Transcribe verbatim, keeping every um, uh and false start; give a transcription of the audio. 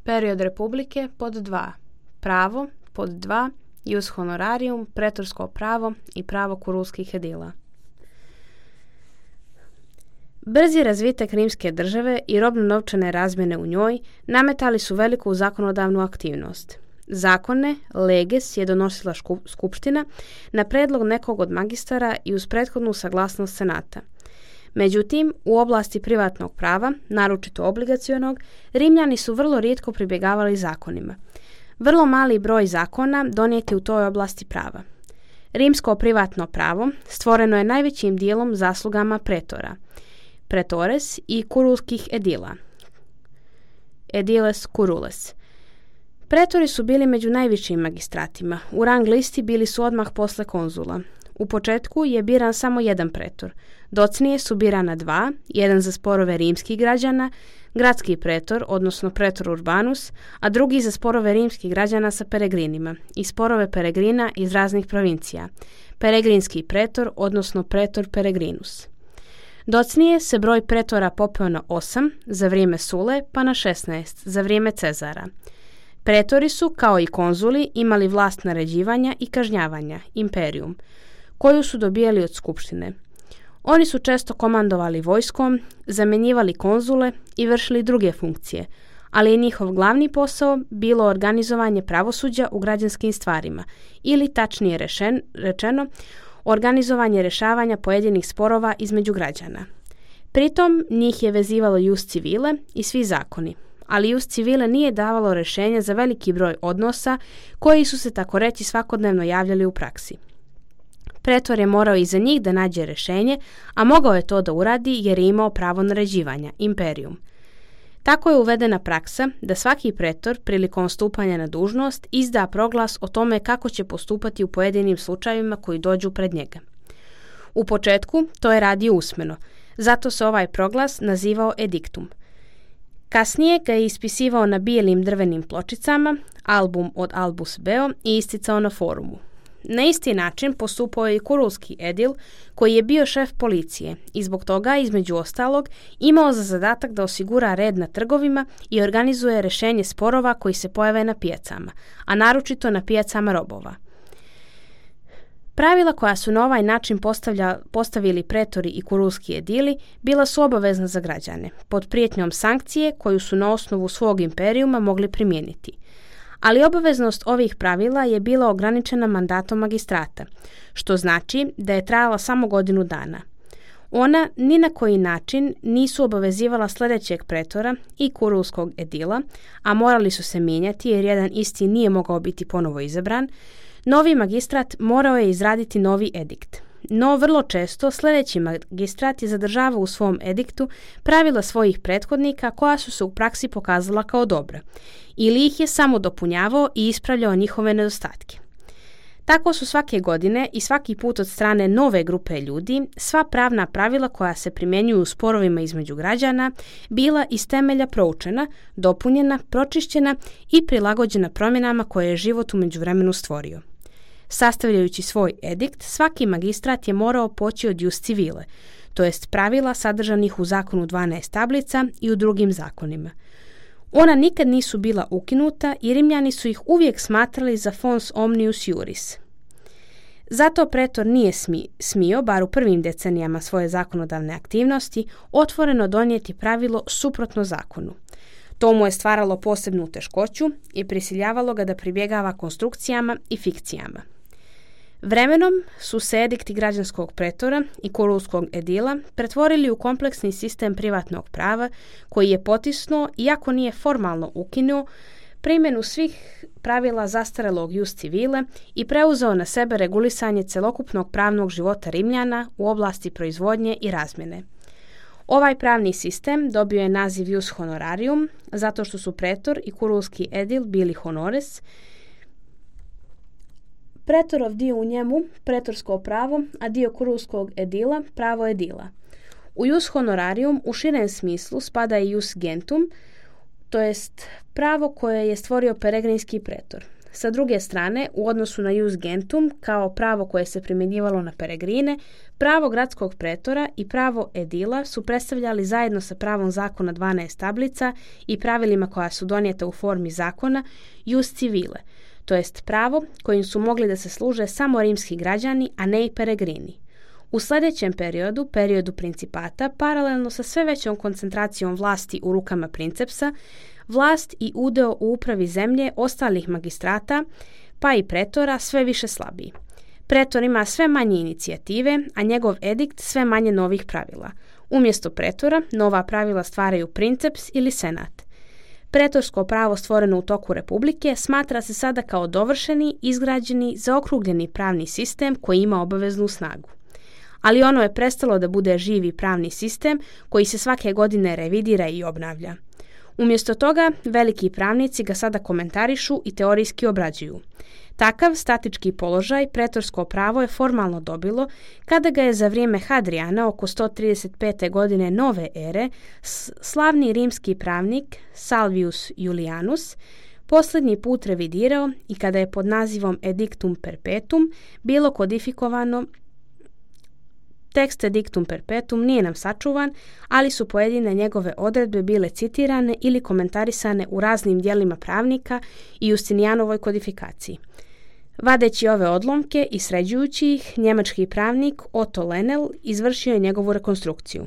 Period republike pod dva. Pravo pod dva. Ius honorarium, pretorsko pravo i pravo kurulskih edila. Brzi razvitak rimske države i robno-novčane razmjene u njoj nametali su veliku zakonodavnu aktivnost. Zakone, leges, je donosila skupština na predlog nekog od magistara i uz prethodnu saglasnost senata. Međutim, u oblasti privatnog prava, naročito obligacionog, Rimljani su vrlo rijetko pribjegavali zakonima. Vrlo mali broj zakona donijeti u toj oblasti prava. Rimsko privatno pravo stvoreno je najvećim dijelom zaslugama pretora, pretores i kurulskih edila, ediles curules. Pretori su bili među najvišim magistratima. U rang listi bili su odmah posle konzula. U početku je biran samo jedan pretor. Docnije su birana dva, jedan za sporove rimskih građana, gradski pretor, odnosno pretor urbanus, a drugi za sporove rimskih građana sa peregrinima i sporove peregrina iz raznih provincija, peregrinski pretor, odnosno pretor peregrinus. Docnije se broj pretora popeo na osam za vrijeme Sule, pa na šesnaest za vrijeme Cezara. Pretori su, kao i konzuli, imali vlast naređivanja i kažnjavanja, imperium, koju su dobijali od skupštine. Oni su često komandovali vojskom, zamjenjivali konzule i vršili druge funkcije, ali je njihov glavni posao bilo organizovanje pravosuđa u građanskim stvarima ili, tačnije rešen, rečeno, organizovanje rješavanja pojedinih sporova između građana. Pritom njih je vezivalo ius civile i svi zakoni, ali ius civile nije davalo rješenja za veliki broj odnosa koji su se tako reći svakodnevno javljali u praksi. Pretor je morao i za njih da nađe rješenje, a mogao je to da uradi jer je imao pravo naređivanja, imperium. Tako je uvedena praksa da svaki pretor prilikom stupanja na dužnost izda proglas o tome kako će postupati u pojedinim slučajevima koji dođu pred njega. U početku to je radio usmeno, zato se ovaj proglas nazivao ediktum. Kasnije ga je ispisivao na bijelim drvenim pločicama, album od albus beo, i isticao na forumu. Na isti način postupao je i kurulski edil, koji je bio šef policije i zbog toga, između ostalog, imao za zadatak da osigura red na trgovima i organizuje rješenje sporova koji se pojave na pijacama, a naročito na pijacama robova. Pravila koja su na ovaj način postavili pretori i kurulski edili bila su obavezna za građane, pod prijetnjom sankcije koju su na osnovu svog imperijuma mogli primijeniti. Ali obaveznost ovih pravila je bila ograničena mandatom magistrata, što znači da je trajala samo godinu dana. Ona ni na koji način nisu obavezivala sljedećeg pretora i kurulskog edila, a morali su se mijenjati jer jedan isti nije mogao biti ponovo izabran. Novi magistrat morao je izraditi novi edikt. No vrlo često sljedeći magistrat je zadržavao u svom ediktu pravila svojih prethodnika koja su se u praksi pokazala kao dobra, ili ih je samo dopunjavao i ispravljao njihove nedostatke. Tako su svake godine i svaki put od strane nove grupe ljudi sva pravna pravila koja se primjenjuju u sporovima između građana bila iz temelja proučena, dopunjena, pročišćena i prilagođena promjenama koje je život u međuvremenu stvorio. Sastavljajući svoj edikt, svaki magistrat je morao poći od ius civile, to jest pravila sadržanih u zakonu dvanaest tablica i u drugim zakonima. Ona nikad nisu bila ukinuta i Rimljani su ih uvijek smatrali za fons omnius iuris. Zato pretor nije smi, smio, bar u prvim decenijama svoje zakonodavne aktivnosti, otvoreno donijeti pravilo suprotno zakonu. To mu je stvaralo posebnu teškoću i prisiljavalo ga da pribjegava konstrukcijama i fikcijama. Vremenom su se edikti građanskog pretora i kurulskog edila pretvorili u kompleksni sistem privatnog prava koji je potisnuo, iako nije formalno ukinuo, primjenu svih pravila zastarelog ius civile i preuzeo na sebe regulisanje celokupnog pravnog života Rimljana u oblasti proizvodnje i razmjene. Ovaj pravni sistem dobio je naziv ius honorarium zato što su pretor i kurulski edil bili honores. Pretorov dio u njemu pretorsko pravo, a dio kurulskog edila pravo edila. U ius honorarium u širem smislu spada i ius gentum, to jest pravo koje je stvorio peregrinski pretor. Sa druge strane, u odnosu na jus gentum, kao pravo koje se primjenjivalo na peregrine, pravo gradskog pretora i pravo edila su predstavljali zajedno sa pravom zakona dvanaest tablica i pravilima koja su donijeta u formi zakona jus civile, to jest pravo kojim su mogli da se služe samo rimski građani, a ne i peregrini. U sljedećem periodu, periodu principata, paralelno sa sve većom koncentracijom vlasti u rukama princepsa, vlast i udeo u upravi zemlje ostalih magistrata, pa i pretora, sve više slabiji. Pretor ima sve manje inicijative, a njegov edikt sve manje novih pravila. Umjesto pretora, nova pravila stvaraju princeps ili senat. Pretorsko pravo stvoreno u toku republike smatra se sada kao dovršeni, izgrađeni, zaokrugljeni pravni sistem koji ima obaveznu snagu. Ali ono je prestalo da bude živi pravni sistem koji se svake godine revidira i obnavlja. Umjesto toga, veliki pravnici ga sada komentarišu i teorijski obrađuju. Takav statički položaj pretorsko pravo je formalno dobilo kada ga je za vrijeme Hadrijana oko sto trideset pete godine nove ere slavni rimski pravnik Salvius Julianus posljednji put revidirao i kada je pod nazivom Edictum Perpetuum bilo kodifikovano. Tekst Edictum Perpetuum nije nam sačuvan, ali su pojedine njegove odredbe bile citirane ili komentarisane u raznim dijelima pravnika i Justinijanovoj kodifikaciji. Vadeći ove odlomke i sređujući ih, njemački pravnik Otto Lenel izvršio je njegovu rekonstrukciju.